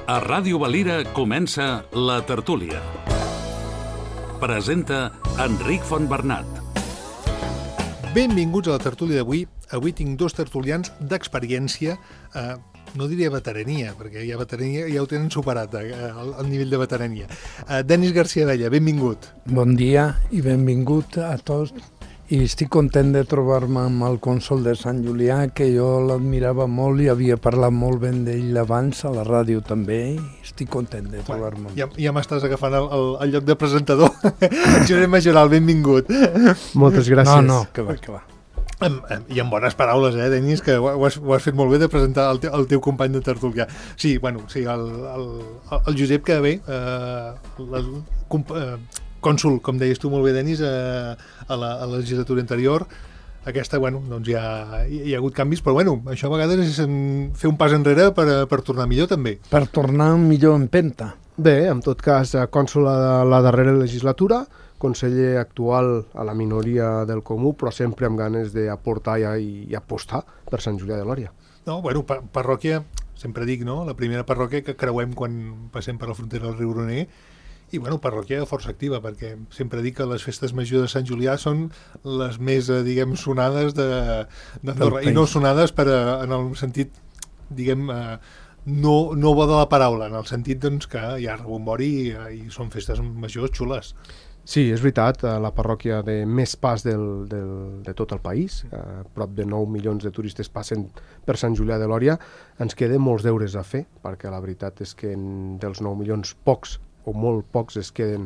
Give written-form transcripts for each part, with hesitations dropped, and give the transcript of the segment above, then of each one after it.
A Ràdio Valira comença La Tertúlia. Presenta Enric Fontbernat. Benvinguts a La Tertúlia d'avui. Avui tinc dos tertulians d'experiència, no diria veterania, perquè ja veterania ja ho tenen superat, el nivell de veterania. Denis García Abella, benvingut. Bon dia i benvingut a tots. I estic content de trobar-me amb el cònsol de Sant Julià, que jo l'admirava molt i havia parlat molt ben d'ell abans a la ràdio també, i estic content de trobar-me. Ja m'estàs agafant el lloc de presentador. Josep Majoral, benvingut. Moltes gràcies. No, que va. I amb bones paraules, Denis, que ho has fet molt bé de presentar el teu company de tertúlia. Sí, el Josep que ve, cònsol, com deies tu molt bé, Denis, a la legislatura anterior. Aquesta, doncs ja hi ha hagut canvis, però això a vegades és fer un pas enrere per tornar millor també. Per tornar millor en empenta. Bé, en tot cas, cònsol a la darrera legislatura, conseller actual a la minoria del Comú, però sempre amb ganes d'aportar i apostar per Sant Julià de Lòria. No, parròquia, sempre dic, no? La primera parròquia que creuem quan passem per la frontera del riu Roner, i parròquia força activa, perquè sempre dic que les festes majors de Sant Julià són les més, sonades d'Andorra, i no sonades en el sentit, no bo de la paraula, en el sentit que hi ha rebombori i són festes majors xules. Sí, és veritat, la parròquia de més pas de tot el país, prop de 9 milions de turistes passen per Sant Julià de Lòria. Ens queden molts deures a fer, perquè la veritat és que dels 9 milions pocs o molt pocs es queden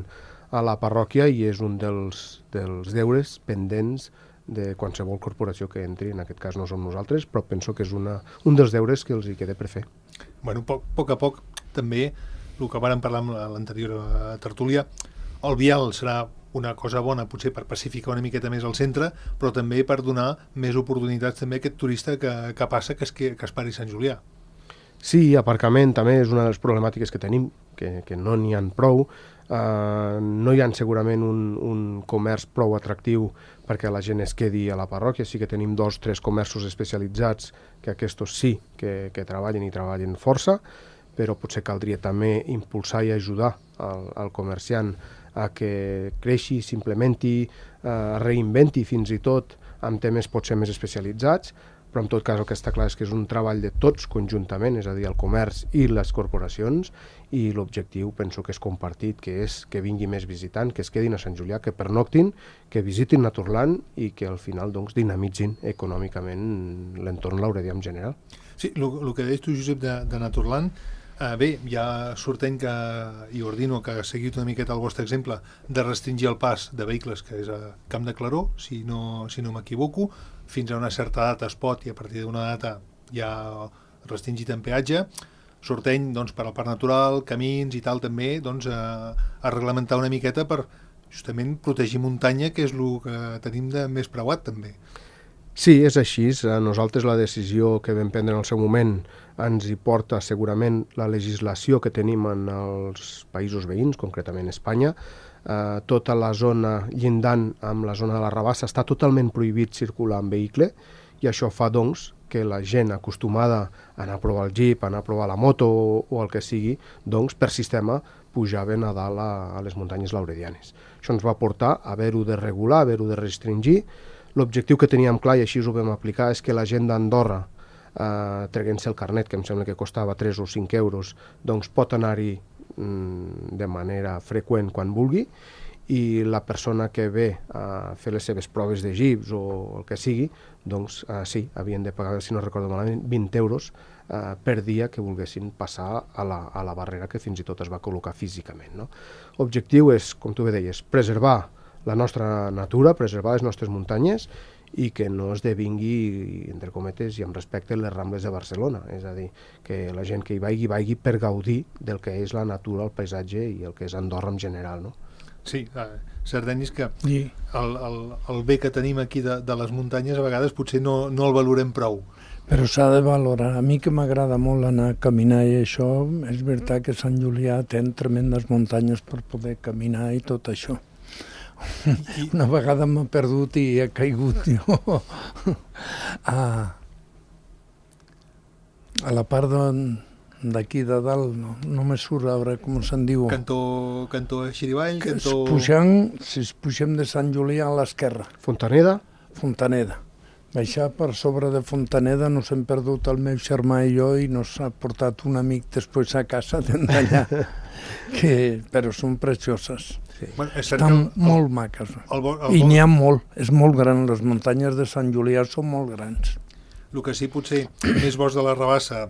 a la parròquia i és un dels deures pendents de qualsevol corporació que entri. En aquest cas no som nosaltres, però penso que és un dels deures que els hi queda per fer. Poc a poc també, el que vàrem parlar amb l'anterior tertúlia, el vial serà una cosa bona potser per pacificar una miqueta més el centre, però també per donar més oportunitats també a aquest turista que passa, que es pari Sant Julià. Sí, aparcament també és una de les problemàtiques que tenim, que no n'hi ha prou. No hi ha segurament un comerç prou atractiu perquè la gent es quedi a la parròquia. Sí que tenim 2 o 3 comerços especialitzats que aquests sí que treballen força, però potser caldria també impulsar i ajudar al comerciant a que creixi, s'implementi, reinventi fins i tot amb temes potser més especialitzats, però en tot cas el que està clar és que és un treball de tots conjuntament, és a dir, el comerç i les corporacions, i l'objectiu penso que és compartit, que és que vingui més visitant, que es quedin a Sant Julià, que pernoctin, que visitin Naturland i que al final dinamitzin econòmicament l'entorn lauredià en general. Sí, el que deies tu, Josep, de Naturland, bé, ja sorteny que, i ordino que seguiu una miqueta el vostre exemple, de restringir el pas de vehicles, que és a Camp de Claró, si no m'equivoco, fins a una certa data es pot, i a partir d'una data ja restringit en peatge. Sorteny per al parc natural, camins i tal també, a reglamentar una miqueta per justament protegir muntanya, que és el que tenim de més preuat també. Sí, és així. Nosaltres la decisió que vam prendre en el seu moment ens hi porta segurament la legislació que tenim en els països veïns, concretament Espanya. Tota la zona llindant amb la zona de la Rabassa està totalment prohibit circular en vehicle, i això fa que la gent acostumada a anar a provar el jeep, a anar a provar la moto o el que sigui, per sistema pujaven a dalt a les muntanyes lauredianes. Això ens va portar a haver-ho de regular, a haver-ho de restringir. L'objectiu que teníem clar, i així ho vam aplicar, és que la gent d'Andorra, traient-se el carnet, que em sembla que costava 3 o 5 euros, pot anar-hi de manera freqüent quan vulgui, i la persona que ve a fer les seves proves de jeeps o el que sigui, sí, havien de pagar, si no recordo malament, 20 euros per dia que volguessin passar a la barrera que fins i tot es va col·locar físicament, no? L'objectiu és, com tu bé deies, preservar la nostra natura, preservar les nostres muntanyes i que no esdevingui, entre cometes i amb respecte, les Rambles de Barcelona. És a dir, que la gent que hi vagi per gaudir del que és la natura, el paisatge i el que és Andorra en general, no? Sí, cert, Denis, que el bé que tenim aquí de les muntanyes a vegades potser no el valorem prou. Però s'ha de valorar. A mi que m'agrada molt anar a caminar i això, és veritat que Sant Julià té tremendes muntanyes per poder caminar i tot això. Una vegada m'ha perdut i he caigut jo a la part d'aquí de dalt, no me surt ara com se'n diu. Cantó Xirivall, cantó... Si pugem de Sant Julià a l'esquerra. Fontaneda? Fontaneda. Baixar per sobre de Fontaneda, nos hem perdut el meu germà i jo i nos ha portat un amic després a casa d'allà, però són precioses. Sí. Bueno, estan molt maques. I n'hi ha molt, és molt gran, les muntanyes de Sant Julià són molt grans. El que sí, potser, més bosc de la Rabassa,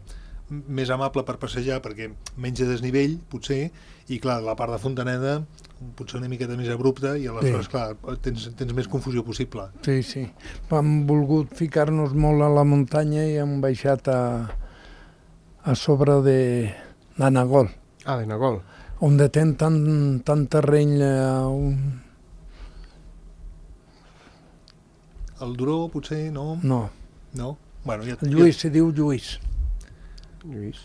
més amable per passejar, perquè menys de desnivell, potser, i clar, la part de Fontaneda potser una miqueta més abrupta i aleshores, clar, tens més confusió possible. Sí. Hem volgut ficar-nos molt a la muntanya i hem baixat a sobre de Nagol. Ah, de Nagol. On ten tant terreny... El Duró, potser, no? No. No? Bueno, Lluís, se diu Lluís.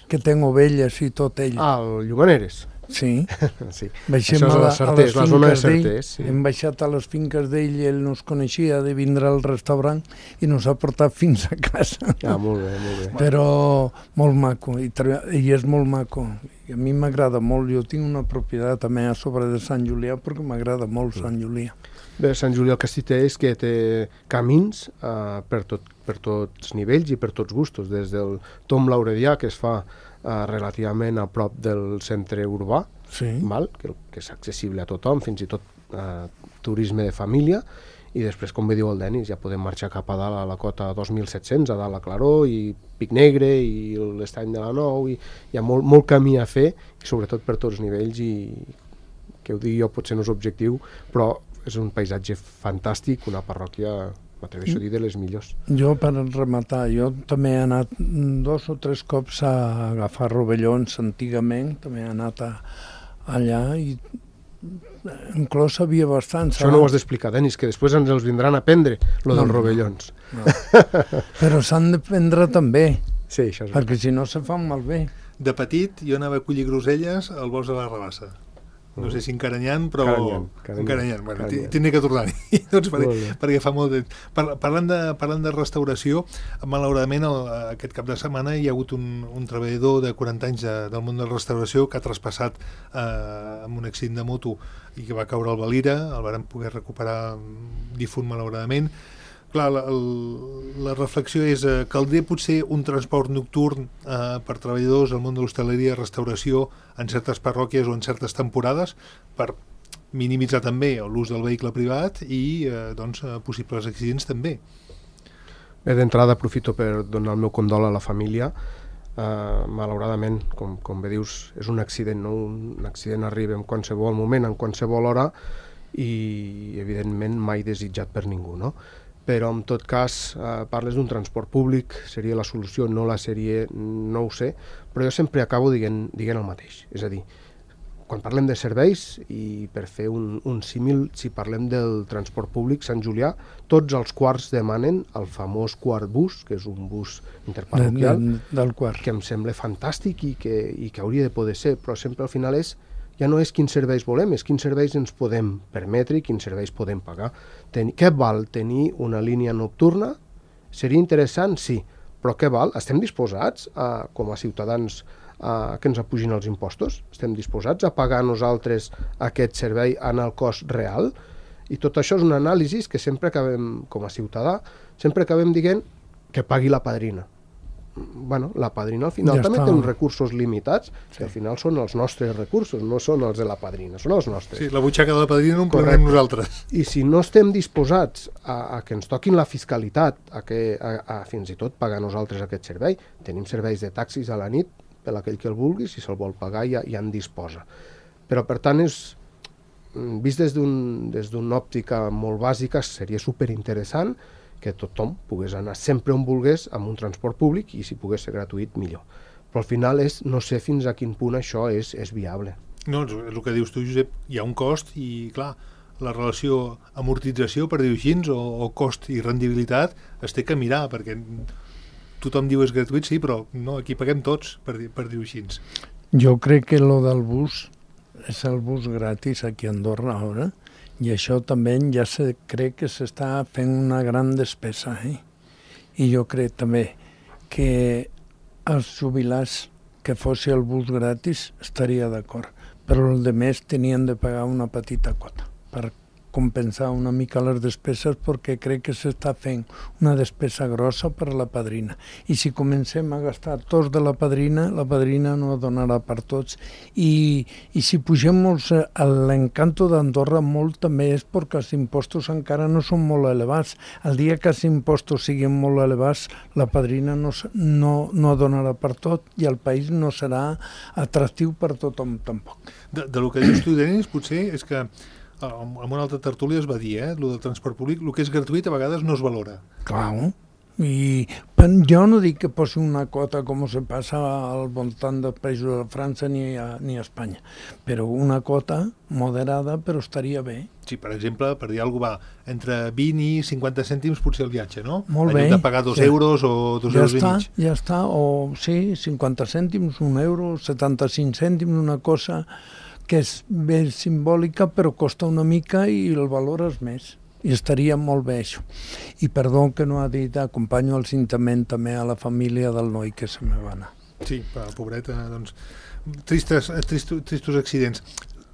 Que ten ovelles i tot ell. Ah, el Llumaneres. Sí. Sí. Baixem això és a la zona de Certés. Sí. Hem baixat a les finques d'ell i ell nos coneixia de vindre al restaurant i nos ha portat fins a casa. Ah, molt bé, molt bé. Però molt maco, i és molt maco. I a mi m'agrada molt, jo tinc una propietat també a sobre de Sant Julià perquè m'agrada molt Sant Julià. Bé, Sant Julià el que sí té és que té camins per tots nivells i per tots gustos, des del Tom Lauredià, que es fa relativament a prop del centre urbà, sí. que és accessible a tothom, fins i tot turisme de família, i després, com bé diu el Denis, ja podem marxar cap a dalt a la cota 2700, a dalt a Claró, i Pic Negre, i l'Estany de la Nou, i hi ha molt camí a fer, i sobretot per tots nivells, i que ho digui jo potser no és objectiu, però és un paisatge fantàstic, una parròquia, m'atreveixo a dir, de les millors. Jo, per rematar, jo també he anat 2 o 3 cops a agafar rovellons antigament, també he anat allà i inclús havia bastants. Això no ho has d'explicar, Denis, que després ens els vindran a prendre, lo dels rovellons. No. Però s'han de prendre també, sí, això és perquè si no se fan malbé. De petit jo anava a collir groselles al bosc de la Rabassa. No sé si encaranyant, però... Encaranyant. Bueno, tindré que tornar-hi, doncs, perquè fa molt de... Parlant de restauració, malauradament aquest cap de setmana hi ha hagut un treballador de 40 anys del món de la restauració que ha traspassat amb un accident de moto i que va caure al Valira, el vàrem poder recuperar difunt malauradament. Clar, la reflexió és caldria potser un transport nocturn per treballadors al món de l'hostaleria i restauració en certes parròquies o en certes temporades per minimitzar també l'ús del vehicle privat i possibles accidents també. Bé, d'entrada aprofito per donar el meu condol a la família. Malauradament, com bé dius, és un accident, no? Un accident arriba en qualsevol moment, en qualsevol hora i evidentment mai desitjat per ningú, no? Però en tot cas parles d'un transport públic, seria la solució, no la sèrie, no ho sé, però jo sempre acabo dient el mateix, és a dir, quan parlem de serveis i per fer un símil, si parlem del transport públic, Sant Julià, tots els quarts demanen el famós quart bus, que és un bus interparroquial, del quart, que em sembla fantàstic i que hauria de poder ser, però sempre al final ja no és quins serveis volem, és quins serveis ens podem permetre i quins serveis podem pagar. Què val tenir una línia nocturna? Seria interessant, sí, però què val? Estem disposats, com a ciutadans, que ens apugin els impostos? Estem disposats a pagar nosaltres aquest servei en el cost real? I tot això és una anàlisi que sempre acabem, com a ciutadà, sempre acabem dient que pagui la padrina. Bueno, la padrina al final també té uns recursos limitats, que al final són els nostres recursos, no són els de la padrina, són els nostres. Sí, la butxaca de la padrina no en pagarem nosaltres. I si no estem disposats a que ens toquin la fiscalitat, a fins i tot pagar nosaltres aquest servei, tenim serveis de taxis a la nit, per aquell que el vulgui, si se'l vol pagar ja en disposa. Però per tant, vist des d'una òptica molt bàsica, seria superinteressant que tothom pogués anar sempre on volgués amb un transport públic i si pogués ser gratuït, millor. Però al final no sé fins a quin punt això és viable. No, és el que dius tu, Josep, hi ha un cost i, clar, la relació amortització, per dir-ho així, o cost i rendibilitat es té que mirar, perquè tothom diu és gratuït, sí, però no, aquí paguem tots, per dir-ho així. Jo crec que lo del bus és el bus gratis aquí a Andorra ara, i això també ja crec que s'està fent una gran despesa. I jo crec també que els jubilats que fos el bus gratis estaria d'acord, però els altres tenien de pagar una petita quota per compensar una mica les despeses, perquè crec que s'està fent una despesa grossa per a la padrina. I si comencem a gastar tots de la padrina no donarà per tots. I si pugem molt l'encanto d'Andorra molt també és perquè els impostos encara no són molt elevats. El dia que els impostos siguin molt elevats, la padrina no donarà per tot i el país no serà atractiu per tothom tampoc. De lo que dius tu, Denis, potser és que en una altra tertúlia es va dir, el del transport públic, el que és gratuït a vegades no es valora. Clar, i jo no dic que posi una quota com se passa al voltant dels països de França ni a Espanya, però una quota moderada però estaria bé. Sí, per exemple, per dir alguna cosa, va entre 20 i 50 cèntims potser el viatge, no? Molt bé. En lloc de pagar 2 euros o 2 euros i mig. Ja està, o sí, 50 cèntims, 1 euro, 75 cèntims, una cosa que és ben simbòlica però costa una mica i el valor és més. I estaria molt bé això. I perdó que no ha dit, acompanyo el sentiment també a la família del noi que se me va anar. Sí, pobreta, doncs, tristos accidents.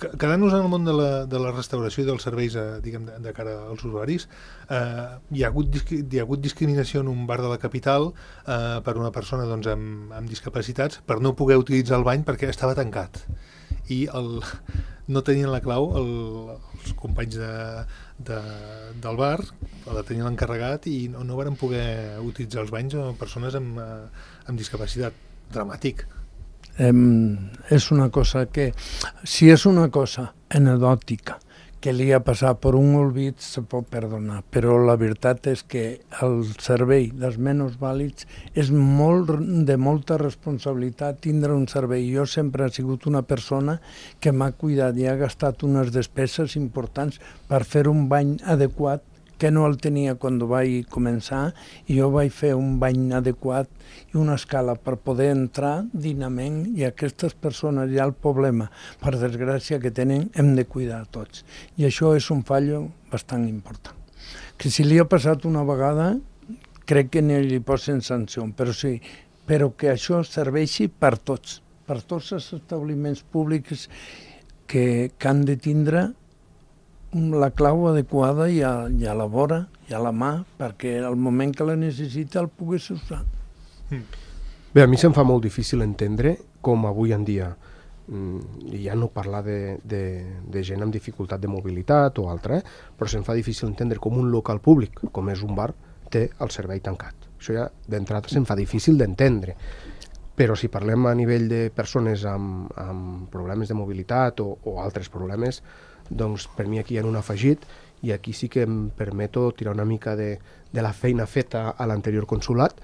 Quedant-nos en el món de la restauració i dels serveis diguem, de cara als usuaris, hi ha hagut discriminació en un bar de la capital per una persona doncs, amb discapacitats per no poder utilitzar el bany perquè estava tancat. I no tenien la clau els companys del bar, la tenien l'encarregat i no varen poder utilitzar els banys a persones amb discapacitat. Dramàtic. És una cosa que, si és una cosa anecdòtica que li ha passat per un olvid, se pot perdonar, però la veritat és que el servei dels menys vàlids és de molta responsabilitat tindre un servei. Jo sempre he sigut una persona que m'ha cuidat i ha gastat unes despeses importants per fer un bany adequat que no el tenia quan vaig començar, i jo vaig fer un bany adequat i una escala per poder entrar dignament, i aquestes persones hi ha el problema, per desgràcia, que tenen, hem de cuidar tots. I això és un fallo bastant important. Que si li ha passat una vegada, crec que ni li posen sanció, però que això serveixi per tots els establiments públics que han de tindre la clau adequada i a la vora i a la mà, perquè al moment que la necessita el pogués usar. Bé, a mi se'm fa molt difícil entendre com avui en dia, ja no parlar de gent amb dificultat de mobilitat o altra, però se'm fa difícil entendre com un local públic, com és un bar, té el servei tancat. Això ja d'entrada se'm fa difícil d'entendre. Però si parlem a nivell de persones amb problemes de mobilitat o altres problemes, doncs per mi aquí hi ha un afegit, i aquí sí que em permeto tirar una mica de la feina feta a l'anterior consulat.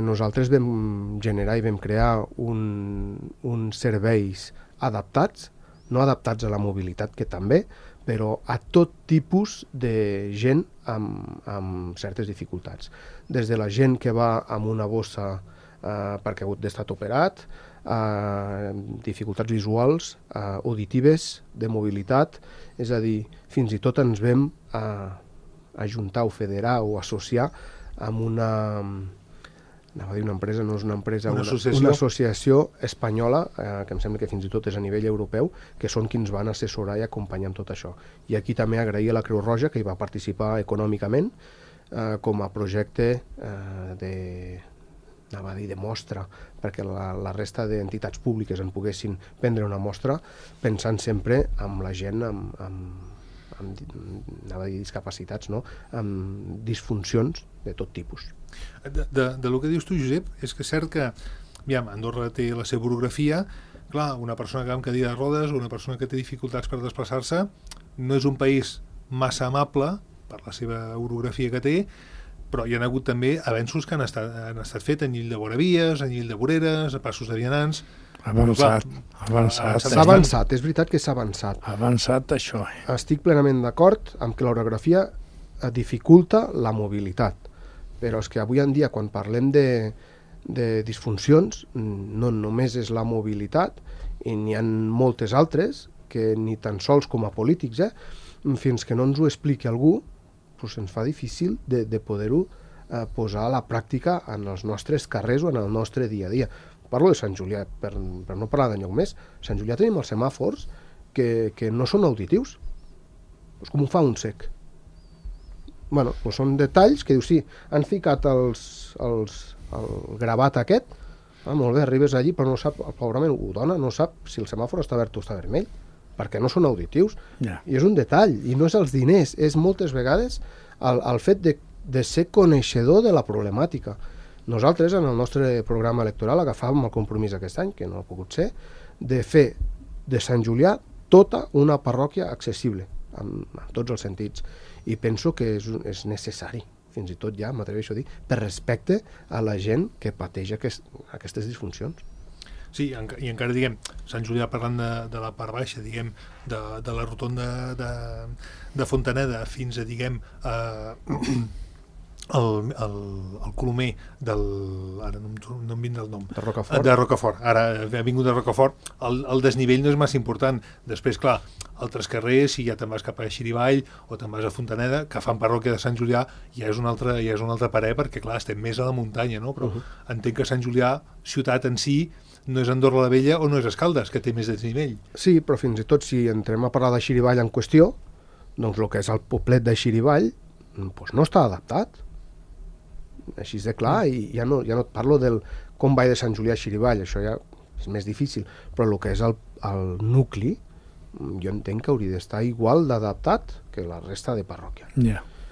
Nosaltres vam generar i vam crear uns serveis adaptats, no adaptats a la mobilitat, que també, però a tot tipus de gent amb certes dificultats. Des de la gent que va amb una bossa perquè ha hagut d'estar operat, dificultats visuals, auditives, de mobilitat, és a dir, fins i tot ens vam ajuntar o federar o associar amb una empresa, no és una empresa, una associació espanyola, que em sembla que fins i tot és a nivell europeu, que són qui ens van assessorar i acompanyar amb tot això. I aquí també agrair a la Creu Roja, que hi va participar econòmicament com a projecte de mostra, perquè la resta d'entitats públiques en poguessin prendre una mostra, pensant sempre en la gent amb discapacitats, no? Amb disfuncions de tot tipus. De lo que dius tu, Josep, és que és cert que Andorra té la seva orografia. Clar, una persona que va amb cadira de rodes o una persona que té dificultats per desplaçar-se no és un país massa amable per la seva orografia que té, però hi ha hagut també avenços que han estat fets en Llill de Boravies, en Llill de Voreres, a passos de vianants. Avançat. S'ha avançat, és veritat que s'ha avançat. Ha avançat això. Estic plenament d'acord amb que l'orografia dificulta la mobilitat, però és que avui en dia, quan parlem de disfuncions, no només és la mobilitat, i n'hi ha moltes altres, que ni tan sols com a polítics, fins que no ens ho expliqui algú, doncs ens fa difícil de poder-ho posar a la pràctica en els nostres carrers o en el nostre dia a dia. parlo de Sant Julià, per no parlar d'enlloc més. A Sant Julià tenim els semàfors que no són auditius. És com ho fa un cec. Bueno, doncs són detalls que dius, sí, han ficat el gravat aquest, molt bé, arribes allí, però no sap, el pobrament ho dona, no sap si el semàfor està verd o està vermell, perquè no són auditius. I és un detall, i no és els diners, és moltes vegades el fet de ser coneixedor de la problemàtica. Nosaltres, en el nostre programa electoral, agafàvem el compromís aquest any, que no ha pogut ser, de fer de Sant Julià tota una parròquia accessible, en tots els sentits. I penso que és necessari, fins i tot ja m'atreveixo a dir, per respecte a la gent que pateix aquestes disfuncions. Sí, i encara, diguem, Sant Julià, parlant de la part baixa, diguem, de la rotonda de Fontaneda fins a, diguem, el Colomer ara no em vindrà el nom, de Rocafort. Ara ha vingut de Rocafort, el desnivell no és massa important. Després, clar, altres carrers, si ja te'n vas cap a Xirivall o te'n vas a Fontaneda, que fan parròquia de Sant Julià, ja és un altre parer, perquè clar, estem més a la muntanya, no? Però entenc que Sant Julià, ciutat en si, no és Andorra la Vella o no és Escaldes, que té més desnivell. Sí, però fins i tot si entrem a parlar de Xirivall en qüestió, doncs el que és el poblet de Xirivall doncs no està adaptat. Així de clar, i ja no et parlo del com va de Sant Julià a Xirivall, això ja és més difícil, però el que és el nucli, jo entenc que hauria d'estar igual d'adaptat que la resta de parròquia.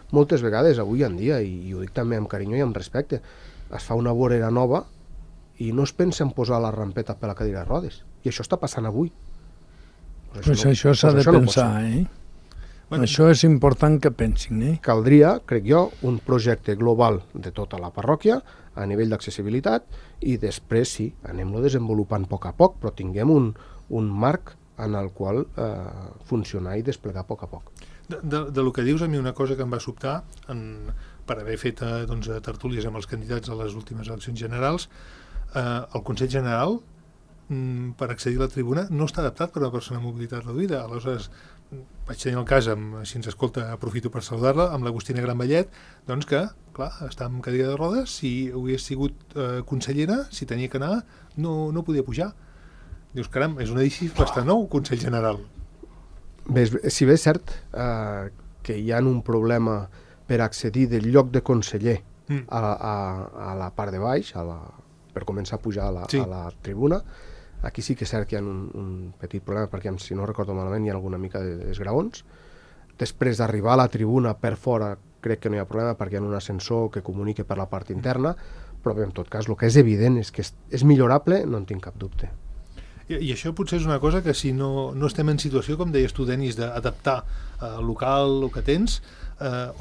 Moltes vegades, avui en dia, i ho dic també amb carinyo i amb respecte, es fa una vorera nova i no es pensa en posar la rampeta per la cadira de rodes. I això està passant avui. Pues això s'ha de pensar, Bueno, això és important que pensin, Caldria, crec jo, un projecte global de tota la parròquia a nivell d'accessibilitat i després sí, anem-lo desenvolupant a poc, però tinguem un marc en el qual funcionar i desplegar a poc. De lo que dius, a mi una cosa que em va sobtar per haver fet tertúlies amb els candidats a les últimes eleccions generals, el Consell General per accedir a la tribuna no està adaptat per a una persona amb mobilitat reduïda. Aleshores vaig tenir el cas, si ens escolta aprofito per saludar-la, amb l'Agustina Granvallet, doncs que, clar, està amb cadira de rodes, si hagués sigut consellera, si tenia que anar, no podia pujar. Dius, caram, és un edifici bastant nou, Consell General. Bé, si bé és cert que hi ha un problema per accedir del lloc de conseller a la part de baix, per començar a pujar a la tribuna, aquí sí que és cert que hi ha un petit problema, perquè si no recordo malament hi ha alguna mica d'esgraons. Després d'arribar a la tribuna per fora crec que no hi ha problema perquè hi ha un ascensor que comunique per la part interna, però bé, en tot cas el que és evident és que és millorable, no en tinc cap dubte. I això potser és una cosa que si no estem en situació, com deies tu, Denis, d'adaptar el local, el que tens,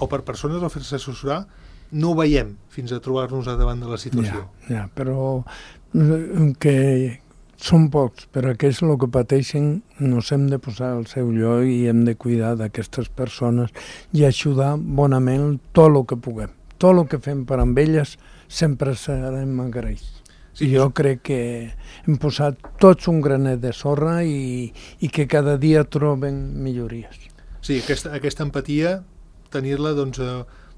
o per persones o fer-se assessorar, no ho veiem fins a trobar-nos davant de la situació. Però que són pocs, però que és el que pateixen, nos hem de posar al seu lloc i hem de cuidar d'aquestes persones i ajudar bonament tot el que puguem. Tot el que fem per amb elles sempre serem agraïts. Sí, jo crec que hem posat tots un granet de sorra i que cada dia troben millories. Sí, aquesta empatia, tenir-la, doncs,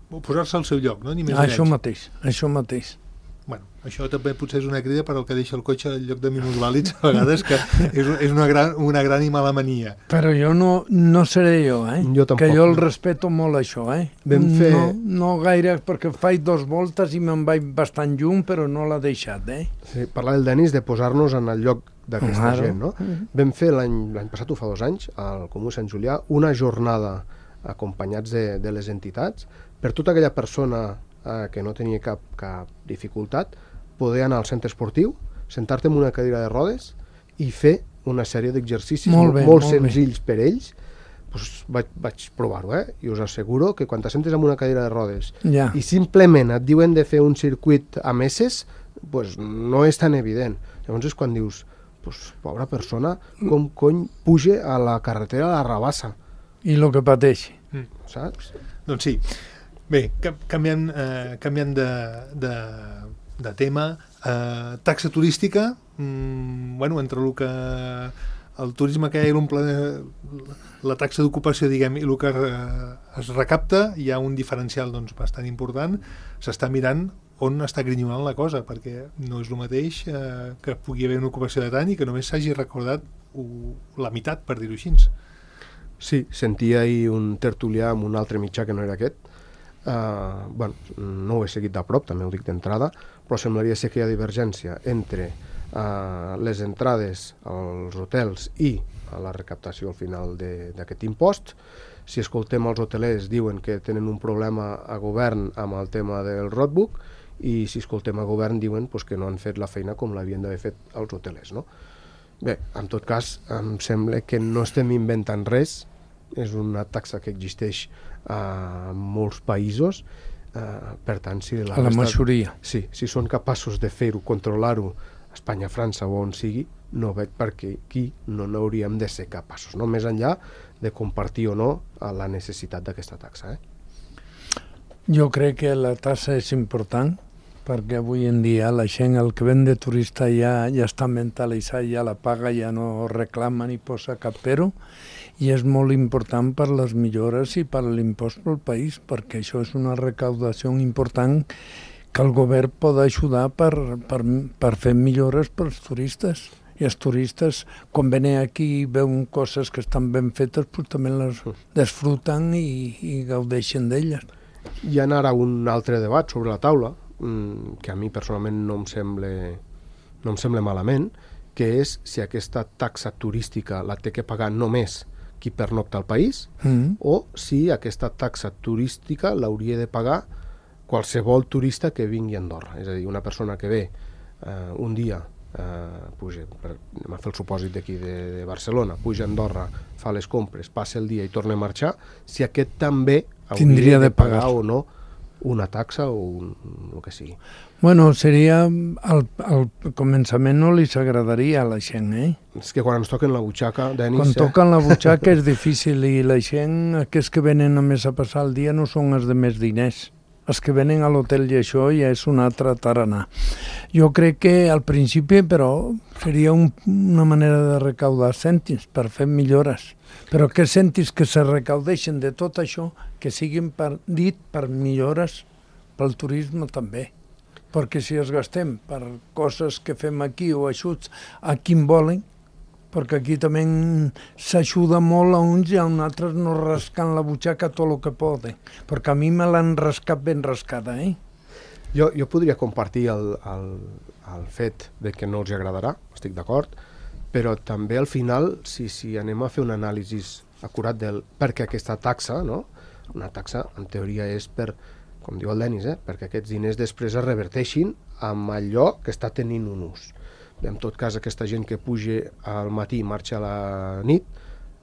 posar-se al seu lloc, no? Ni més ni menys. Això mateix. Bueno, això també potser és una crida per al que deixa el cotxe al lloc de minusvàlids, a vegades, que és una gran i mala mania. Però jo no seré jo, Jo tampoc. Que jo el respeto molt, això, No gaire, perquè faig 2 voltes i me'n vaig bastant lluny, però no l'ha deixat, Sí, parlar del Denis, de posar-nos en el lloc d'aquesta gent, no? Vam fer l'any passat, fa 2 anys, al Comú Sant Julià, una jornada acompanyats de les entitats, per tota aquella persona que no tenia cap dificultat, poder anar al centre esportiu, sentar-te en una cadira de rodes i fer una sèrie d'exercicis molt senzills per ells. Pues vaig provar-ho, i us asseguro que quan t'assentes en una cadira de rodes i simplement et diuen de fer un circuit a meses, pues no és tan evident. Llavors és quan dius, pues, pobra persona, com cony puja a la carretera a la rabassa. I el que pateixi. Saps? Doncs sí. Bé, canviant de tema, taxa turística, entre el que el turisme que hi ha, la taxa d'ocupació, diguem, i el que es recapta, hi ha un diferencial bastant important. S'està mirant on està grinyolant la cosa, perquè no és el mateix que pugui haver una ocupació de tant i que només s'hagi recordat la meitat, per dir-ho així. Sí, sentia ahir un tertulià amb un altre mitjà que no era aquest. No ho he seguit de prop, també ho dic d'entrada, però semblaria ser que hi ha divergència entre les entrades als hotels i la recaptació al final d'aquest impost. Si escoltem els hotelers diuen que tenen un problema a govern amb el tema del roadbook i si escoltem a govern diuen que no han fet la feina com l'havien d'haver fet els hotelers, no? Bé, en tot cas, em sembla que no estem inventant res, és una taxa que existeix a molts països, per tant, si a la majoria. Sí, si són capaços de fer-ho, controlar-ho, a Espanya, França o on sigui, no veig per què aquí no n'hauríem de ser capaços, no? Més enllà de compartir o no la necessitat d'aquesta taxa. Jo crec que la taxa és important perquè avui en dia la gent, el que ven de turista ja està mentalitzat, ja la paga, ja no reclama ni posa cap pero, i és molt important per les millores i per l'impost pel país, perquè això és una recaudació important que el govern pot ajudar per fer millores pels turistes. I els turistes, quan venen aquí i veuen coses que estan ben fetes, també les desfruten i gaudeixen d'elles. Hi ha ara un altre debat sobre la taula, que a mi personalment no em sembla malament, que és si aquesta taxa turística la té que pagar només qui pernocta al país o si aquesta taxa turística l'hauria de pagar qualsevol turista que vingui a Andorra. És a dir, una persona que ve un dia, anem a fer el supòsit d'aquí de Barcelona, puja a Andorra, fa les compres, passa el dia i torna a marxar, si aquest també hauria de pagar o no una taxa o el que sigui. Bueno, seria... Al començament no li s'agradaria a la gent, És que quan ens toquen la butxaca, Denis... Quan toquen la butxaca és difícil i la gent, aquests que venen només a passar el dia no són els de més diners. Els que venen a l'hotel i això ja és un altre tarannà. Jo crec que al principi, però, seria una manera de recaudar cèntims per fer millores. Però que cèntims que se recaudeixen de tot això, que siguin dit per millores pel turisme també. Perquè si es gastem per coses que fem aquí o ajuts a qui en volen, perquè aquí també s'ajuda molt a uns i a uns altres no rascant la butxaca tot el que poden, perquè a mi me l'han rascat ben rascada, Jo podria compartir el fet de que no els agradarà, estic d'acord, però també al final, si anem a fer un anàlisi acurat del perquè aquesta taxa, no? Una taxa en teoria és per, com diu el Denis, perquè aquests diners després es reverteixin amb allò que està tenint un ús. En tot cas, aquesta gent que puja al matí i marxa a la nit,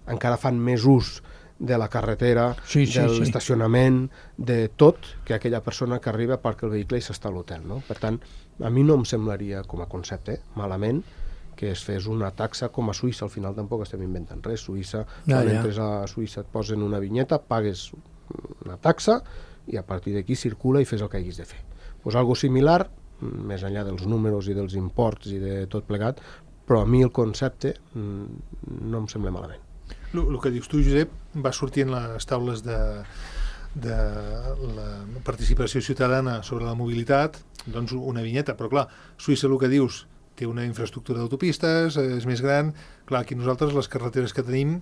encara fan més ús de la carretera, de l'estacionament, de tot, que aquella persona que arriba perquè el vehicle i s'està a l'hotel, no? Per tant, a mi no em semblaria, com a concepte, malament, que es fes una taxa com a Suïssa. Al final tampoc estem inventant res. Suïssa, quan entres a Suïssa et posen una vinyeta, pagues una taxa i a partir d'aquí circula i fes el que haguis de fer. Pues algo similar, més enllà dels números i dels imports i de tot plegat, però a mi el concepte no em sembla malament. El que dius tu, Josep, va sortir en les taules de la participació ciutadana sobre la mobilitat, doncs una vinyeta, però clar, Suïssa, el que dius, té una infraestructura d'autopistes, és més gran, clar, aquí nosaltres les carreteres que tenim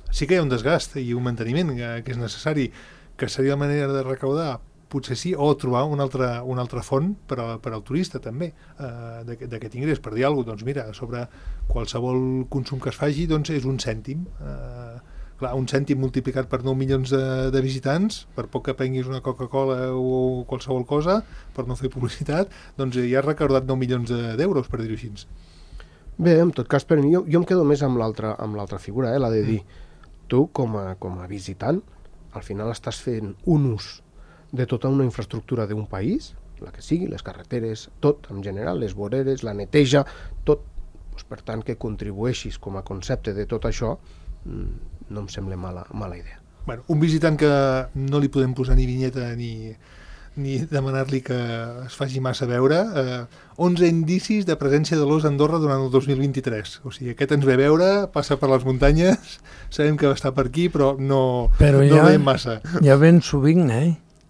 sí que hi ha un desgast i un manteniment que és necessari, que seria la manera de recaudar, potser sí, o trobar una altra font per al turista també d'aquest ingrés, per dir alguna cosa, doncs mira, sobre qualsevol consum que es faci doncs és un cèntim, clar, un cèntim multiplicat per 9 milions de visitants, per poc que prenguis una Coca-Cola o qualsevol cosa, per no fer publicitat, doncs ja has recordat 9 milions d'euros, per dir-ho així. Bé, en tot cas, per mi, jo em quedo més amb l'altra figura, la de dir, tu com a visitant, al final estàs fent un ús de tota una infraestructura d'un país, la que sigui, les carreteres, tot en general, les voreres, la neteja, tot. Per tant, que contribueixis com a concepte de tot això no em sembla mala idea. Bueno, un visitant que no li podem posar ni vinyeta ni demanar-li que es faci massa veure, 11 indicis de presència de l'ós a Andorra durant el 2023. O sigui, aquest ens ve a veure, passa per les muntanyes, sabem que va estar per aquí, però no veiem massa. Ja ben sovint,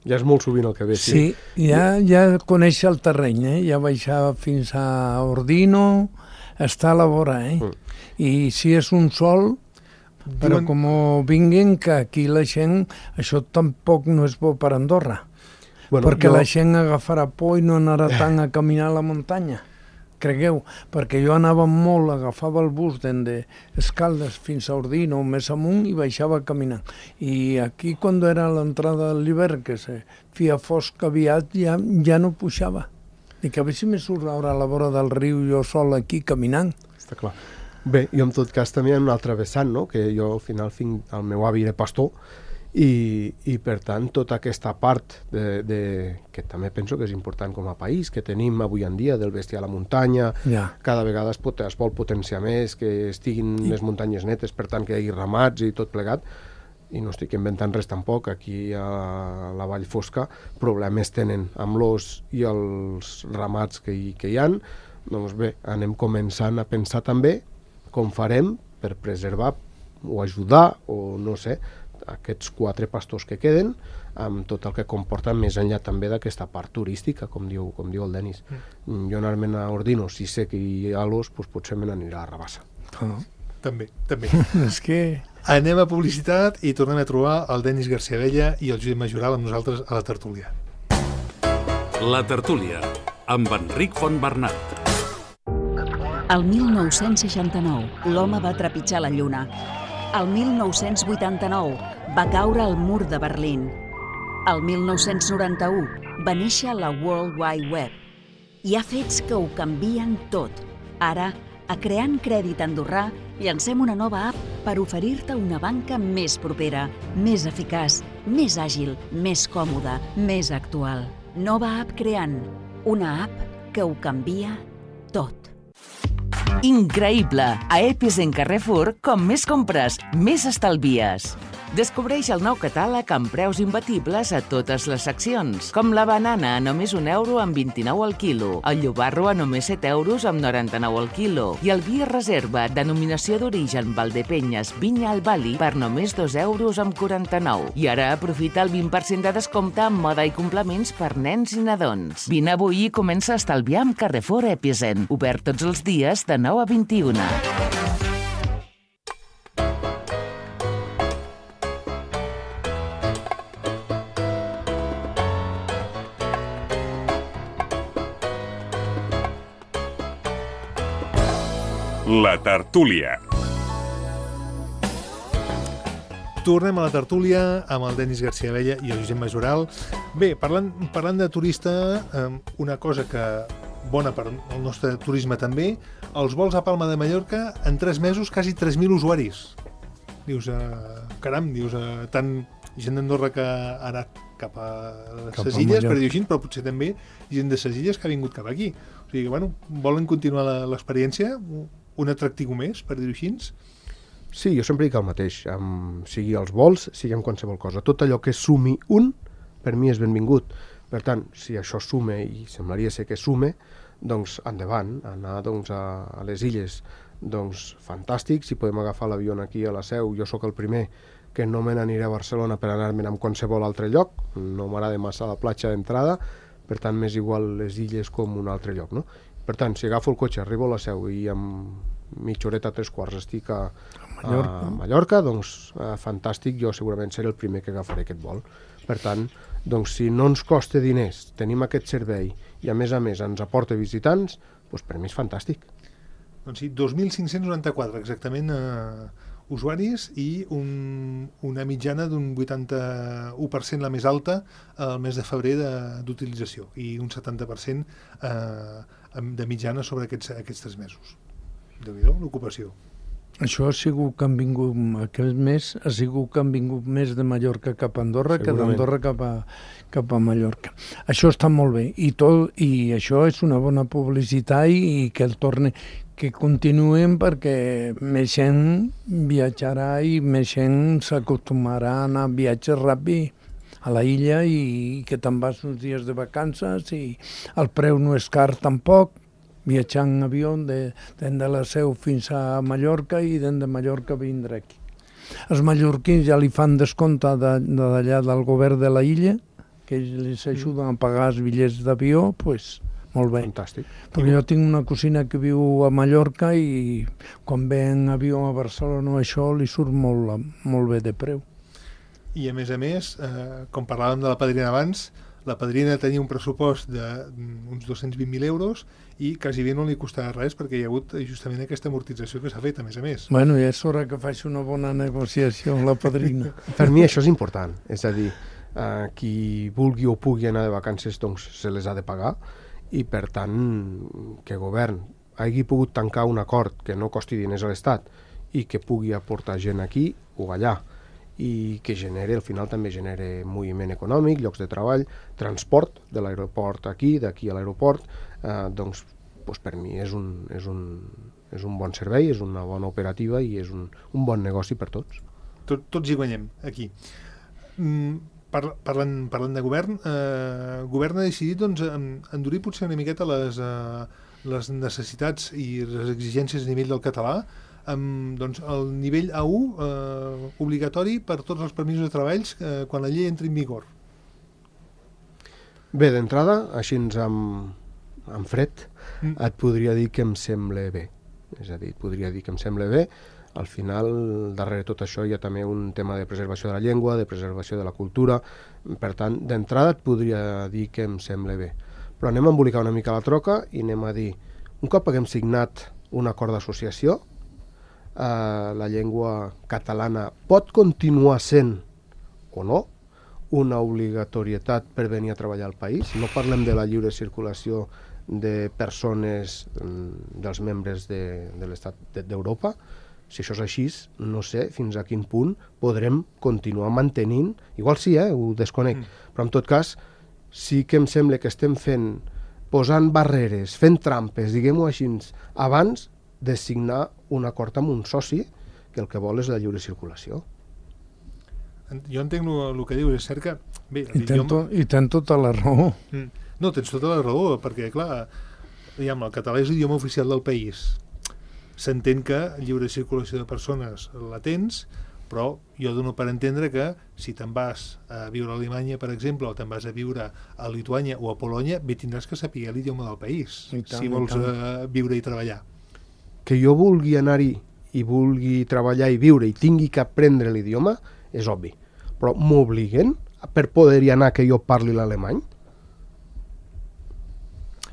Ja és molt sovint el que ve. Sí, ja coneix el terreny, ja baixava fins a Ordino, està a la vora, I si és un sol, però com vinguin, que aquí la gent, això tampoc no és bo per Andorra, perquè la gent agafarà por i no anarà tant a caminar a la muntanya. Cregueu, perquè jo anava molt, agafava el bus de Escaldes fins a Ordino, més amunt, i baixava caminant. I aquí, quan era l'entrada de l'hivern, que se feia fosc aviat, ja no pujava. Dic, a veure si me surt ara a la vora del riu jo sol aquí caminant. Està clar. Bé, jo en tot cas també hi ha un altre vessant, no? Que jo al final el meu avi era pastor, i per tant tota aquesta part que també penso que és important com a país, que tenim avui en dia del bestiar a la muntanya, cada vegada es vol potenciar més, que estiguin les muntanyes netes, per tant que hi hagi ramats i tot plegat, i no estic inventant res tampoc, aquí a la Vall Fosca problemes tenen amb l'os i els ramats que hi ha, doncs bé, anem començant a pensar també com farem per preservar o ajudar, o no sé, aquests 4 pastors que queden, amb tot el que comporta més enllà també d'aquesta part turística, com diu el Denis. Jo anar-me'n a Ordino, si sé que hi ha l'os, doncs potser me n'aniré a Rabassa. També. És que... Anem a publicitat i tornem a trobar el Denis García Vella i el Josep Majoral amb nosaltres a la tertúlia. La tertúlia, amb Enric Fontbernat. El 1969, l'home va trepitjar la Lluna. El 1989 va caure el mur de Berlín. El 1991 va néixer la World Wide Web. Hi ha fets que ho canvien tot. Ara, a Creant Crèdit Andorrà, llancem una nova app per oferir-te una banca més propera, més eficaç, més àgil, més còmoda, més actual. Nova app Creant, una app que ho canvia tot. Increïble! A Epicent Carrefour, com més compres, més estalvies. Descobreix el nou catàleg amb preus imbatibles a totes les seccions, com la banana a només €1 amb 29 al quilo, el llobarro a només €7 amb 99 al quilo i el vi reserva denominació d'origen Valdepenyes Vinya al Bali per només €2 amb 49. I ara aprofita el 20% de descompte en moda i complements per nens i nadons. Vine avui i comença a estalviar amb Carrefour Epicent, obert tots els dies de 9 a 21. La tertúlia. Tornem a la tertúlia amb el Denis García Vella i el Josep Majoral. Bé, parlant de turista, una cosa que bona per al nostre turisme també, els vols a Palma de Mallorca en 3 mesos quasi 3.000 usuaris. Dius, caram, tant gent d'Andorra que ha anat cap a les illes, per dir així, però potser també gent de les illes que ha vingut cap aquí. O sigui que, bueno, volen continuar l'experiència, un atractiu més, per dir-ho així? Sí, jo sempre dic el mateix, sigui els vols, sigui en qualsevol cosa. Tot allò que sumi un, per mi és benvingut. Per tant, si això sume, i semblaria ser que sume, doncs endavant, anar a les illes, doncs fantàstic, si podem agafar l'avió aquí a la Seu, jo sóc el primer que no me n'aniré a Barcelona per anar-me'n a qualsevol altre lloc, no m'agrada massa la platja d'entrada, per tant m'és igual les illes com un altre lloc, no? Per tant, si agafo el cotxe, arribo a la Seu i en mitja horeta, 3 quarts estic a Mallorca, doncs fantàstic, jo segurament seré el primer que agafaré aquest vol. Per tant, doncs si no ens costa diners, tenim aquest servei i a més ens aporta visitants, doncs per mi és fantàstic. Doncs sí, 2.594 exactament usuaris i una mitjana d'un 81% la més alta al mes de febrer d'utilització i un 70% de mitjana sobre aquests 3 mesos. Déu-n'hi-do, l'ocupació. Això ha sigut que han vingut, aquest mes ha sigut que han vingut més de Mallorca cap a Andorra que d'Andorra cap a Mallorca. Això està molt bé i això és una bona publicitat i que que continuem perquè més gent viatjarà i més gent s'acostumarà a anar a viatges ràpid a la illa i que te'n vas uns dies de vacances i el preu no és car tampoc, viatjar en avió de la Seu fins a Mallorca i de Mallorca vindre aquí. Els mallorquins ja li fan descompte d'allà del govern de la illa que els ajuden a pagar els bitllets d'avió, doncs molt bé. Fantàstic. Perquè jo tinc una cosina que viu a Mallorca i quan ve en avió a Barcelona això li surt molt bé de preu. I a més, com parlàvem de la padrina abans, la padrina tenia un pressupost d'uns 220.000 euros i quasi bé no li costarà res perquè hi ha hagut justament aquesta amortització que s'ha fet, a més. Bueno, i és hora que faci una bona negociació amb la padrina. Per mi això és important, és a dir, qui vulgui o pugui anar de vacances doncs se les ha de pagar i per tant que el govern hagi pogut tancar un acord que no costi diners a l'Estat i que pugui aportar gent aquí o allà i que al final també genere moviment econòmic, llocs de treball, transport de l'aeroport aquí, d'aquí a l'aeroport, doncs per mi és un bon servei, és una bona operativa i és un bon negoci per tots. Tots hi guanyem, aquí. Parlant de govern, el govern ha decidit endurir potser una miqueta les necessitats i les exigències a nivell del català, amb el nivell A1 obligatori per tots els permisos de treballs quan la llei entri en vigor. Bé, d'entrada, així en fred, et podria dir que em sembla bé. És a dir, podria dir que em sembla bé. Al final, darrere tot això hi ha també un tema de preservació de la llengua, de preservació de la cultura. Per tant, d'entrada et podria dir que em sembla bé. Però anem a embolicar una mica la troca i anem a dir, un cop haguem signat un acord d'associació, la llengua catalana pot continuar sent, o no, una obligatorietat per venir a treballar al país. No parlem de la lliure circulació de persones dels membres de l'Estat d'Europa. Si això és així, no sé fins a quin punt podrem continuar mantenint, igual sí, ho desconec, però en tot cas sí que em sembla que estem posant barreres, fent trampes, diguem-ho així, abans de signar un acord amb un soci que el que vol és la lliure circulació. Jo entenc el que dius, és cert que... Bé, I tens tota la raó. No, tens tota la raó, perquè, clar, el català és l'idioma oficial del país. S'entén que lliure circulació de persones la tens, però jo dono per entendre que si te'n vas a viure a Alemanya, per exemple, o te'n vas a viure a Lituània o a Polònia, bé tindràs que saber l'idioma del país, si vols viure i treballar. Que jo vulgui anar-hi i vulgui treballar i viure i tingui que aprendre l'idioma és obvi, però m'obliguen per poder-hi anar que jo parli l'alemany?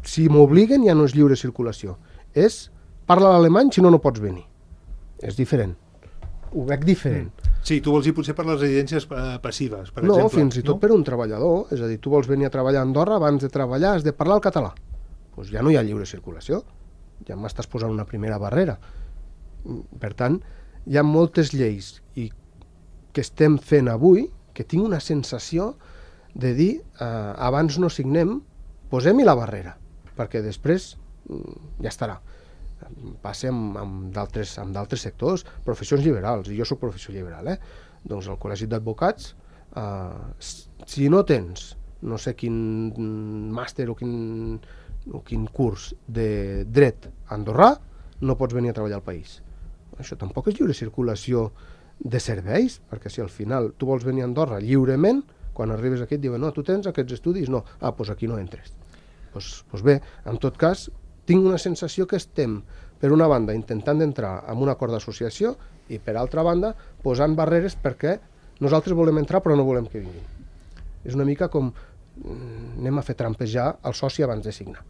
Si m'obliguen ja no és lliure circulació, és parla l'alemany, si no, no pots venir. És diferent, ho veig diferent. Sí, tu vols dir potser per les residències passives, per exemple. No, fins i tot per un treballador, és a dir, tu vols venir a treballar a Andorra, abans de treballar has de parlar el català, doncs ja no hi ha lliure circulació, ja m'estàs posant una primera barrera. Per tant, hi ha moltes lleis que estem fent avui que tinc una sensació de dir abans no signem, posem-hi la barrera, perquè després ja estarà. Passa amb d'altres sectors, professions liberals, i jo soc professió liberal, doncs el Col·legi d'Advocats, si no tens no sé quin màster o quin curs de dret andorrà, no pots venir a treballar al país. Això tampoc és lliure circulació de serveis, perquè si al final tu vols venir a Andorra lliurement, quan arribes aquí et diuen no, tu tens aquests estudis? No. Doncs aquí no entres. Doncs bé, en tot cas, tinc una sensació que estem, per una banda, intentant entrar en un acord d'associació i, per altra banda, posant barreres perquè nosaltres volem entrar però no volem que vinguin. És una mica com anem a fer trampejar el soci abans de signar.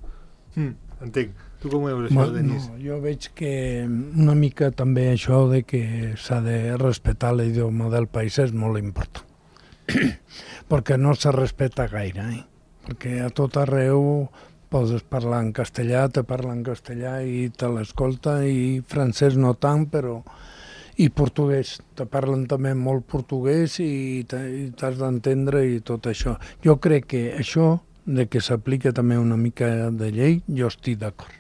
Entenc. Tu com ho veus això, Denis? No, jo veig que una mica també això de que s'ha de respectar l'idioma del país és molt important. Perquè no se respecta gaire, perquè a tot arreu podes parlar en castellà, te parla en castellà i te l'escolta, i francès no tant, però... I portuguès, te parlen també molt portuguès i t'has d'entendre i tot això. Jo crec que això, de que s'aplica també una mica de llei, jo estic d'acord.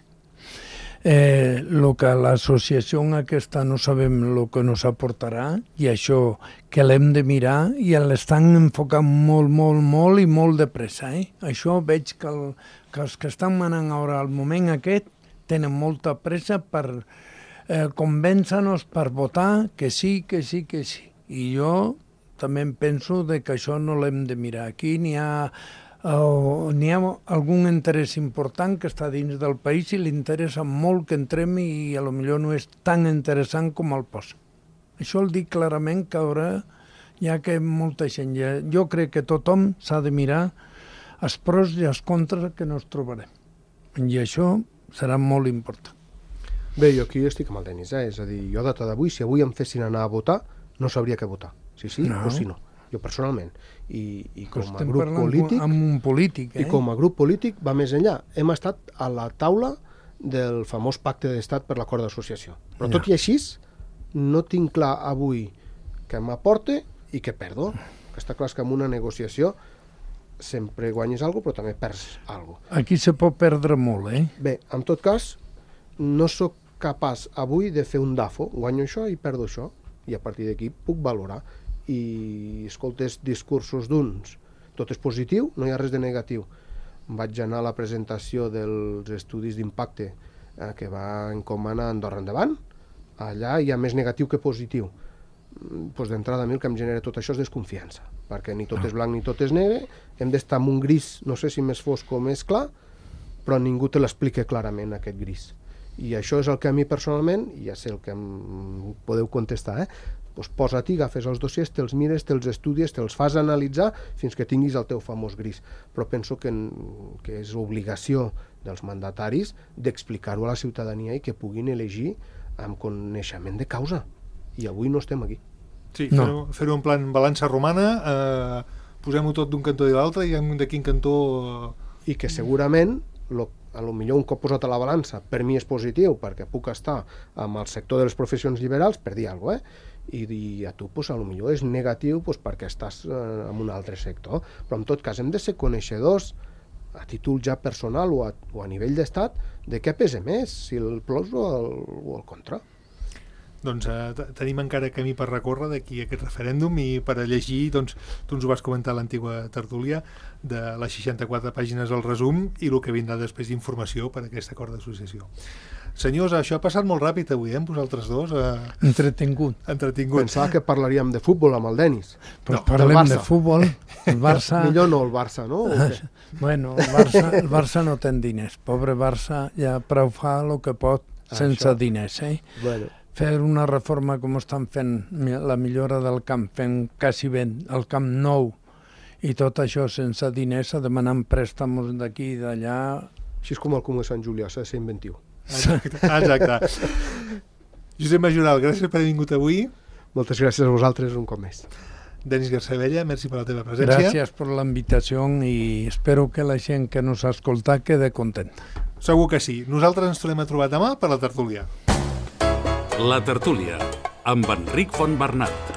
El que l'associació aquesta no sabem el que ens aportarà, i això que l'hem de mirar, i l'estan enfocant molt i molt de pressa. Això veig que els que estan manant ara al moment aquest tenen molta pressa per convèncer-nos per votar que sí. I jo també em penso que això no l'hem de mirar. Aquí n'hi ha algun interès important que està dins del país i li interessa molt que entrem i potser no és tan interessant com el posa. Això el dic clarament que ara, ja que molta gent... Jo crec que tothom s'ha de mirar els pros i els contres que nos trobarem. I això serà molt important. Bé, jo aquí estic amb el Denis, és a dir, jo a data d'avui, si avui em fessin anar a votar, no sabria què votar, si sí o si no, jo personalment. I com a grup polític... Amb un polític, I com a grup polític va més enllà. Hem estat a la taula del famós pacte d'estat per l'acord d'associació. Però tot i així, no tinc clar avui què m'aporte i què perdo. Està clar que en una negociació sempre guanyes alguna cosa, però també perds alguna cosa. Aquí se pot perdre molt, Bé, en tot cas, no sóc capaç avui de fer un DAFO, guanyo això i perdo això, i a partir d'aquí puc valorar. I escoltes discursos d'uns, tot és positiu, no hi ha res de negatiu. Vaig anar a la presentació dels estudis d'impacte que va encomanar Andorra Endavant, allà hi ha més negatiu que positiu. Pues d'entrada a mi el que em genera tot això és desconfiança, perquè ni tot és blanc ni tot és negre, hem d'estar en un gris, no sé si més fosc o més clar, però ningú te l'explica clarament, aquest gris. I això és el que a mi personalment, i ja sé el que em podeu contestar, doncs posa-t'hi, agafes els dossiers, te'ls mires, te'ls estudies, te'ls fas analitzar fins que tinguis el teu famós gris. Però penso que és obligació dels mandataris d'explicar-ho a la ciutadania i que puguin elegir amb coneixement de causa. I avui no estem aquí. Sí, fer-ho en plan balança romana, posem-ho tot d'un cantó i l'altre i de quin cantó... I que segurament, a lo millor un cop posat a la balança, per mi és positiu, perquè puc estar amb el sector de les professions liberals, per dir alguna cosa, i a tu, a lo millor és negatiu perquè estàs en un altre sector. Però en tot cas hem de ser coneixedors, a títol ja personal o a nivell d'estat, de què pesa més, si el plus o el contra. Doncs tenim encara camí per recórrer d'aquí a aquest referèndum i per a llegir, doncs, tu ens ho vas comentar a l'antiga tertúlia, de les 64 pàgines al resum i el que vindrà després d'informació per a aquest acord d'associació. Senyors, això ha passat molt ràpid avui, vosaltres dos. Entretingut. Pensava que parlaríem de futbol amb el Denis. Però parlem de futbol. El Barça... Millor no el Barça, no? Bueno, el Barça no té diners. Pobre Barça ja prou fa el que pot sense diners, Bueno. Fer una reforma com estan fent, la millora del camp, fent quasi bé el camp nou, i tot això sense diners, demanant préstamos d'aquí i d'allà... Així és com el Comú de Sant Julià, s'ha de ser inventiu. Exacte. Josep Majoral, gràcies per haver vingut avui. Moltes gràcies a vosaltres un cop més. Denis Garcebella, merci per la teva presència. Gràcies per la invitació i espero que la gent que nos ha escoltat quede contenta. Segur que sí. Nosaltres ens tornem a trobar demà per la tertúlia. La tertúlia, amb Enric Fontbernat.